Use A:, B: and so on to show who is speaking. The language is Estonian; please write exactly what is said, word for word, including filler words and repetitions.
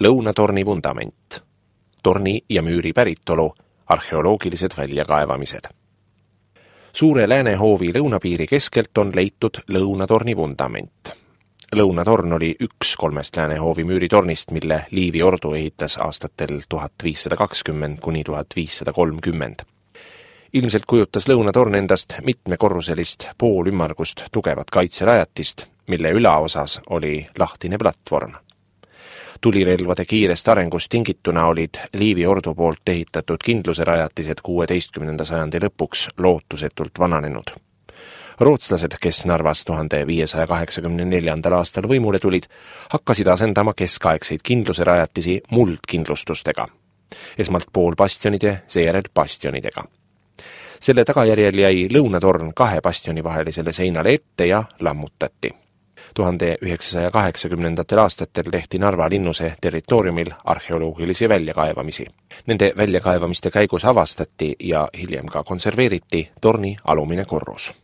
A: lõunatorni vundament, torni ja müüri päritolu, arheoloogilised väljakaevamised. Suure Läänehoovi lõunapiiri keskelt on leitud lõunatorni vundament. Lõunatorn oli üks kolmest Läänehoovi müüritornist, mille Liivi ordu ehitas aastatel tuhat viissada kakskümmend kuni tuhat viissada kolmkümmend. Ilmselt kujutas lõunatorn endast mitmekorruselist poolümmargust tugevat kaitserajatist, mille ülaosas oli lahtine platvorm. Tulirelvade kiirest arengust tingituna olid Liivi ordu poolt ehitatud kindluserajatised kuueteistkümnenda sajandi lõpuks lootusetult vananenud. Rootslased, kes Narvas tuhande viiesaja kaheksakümne neljandal aastal võimule tulid, hakkasid asendama keskaegseid kindluserajatisi muldkindlustustega. Esmalt poolbastionide, seejärel bastionidega. Selle tagajärjel jäi lõunatorn kahe bastioni vahelisele seinale ette ja lammutati. tuhande üheksasaja kaheksakümnendatel aastatel tehti Narva linnuse territooriumil arheoloogilisi väljakaevamisi. Nende väljakaevamiste käigus avastati ja hiljem ka konserveeriti torni alumine korrus.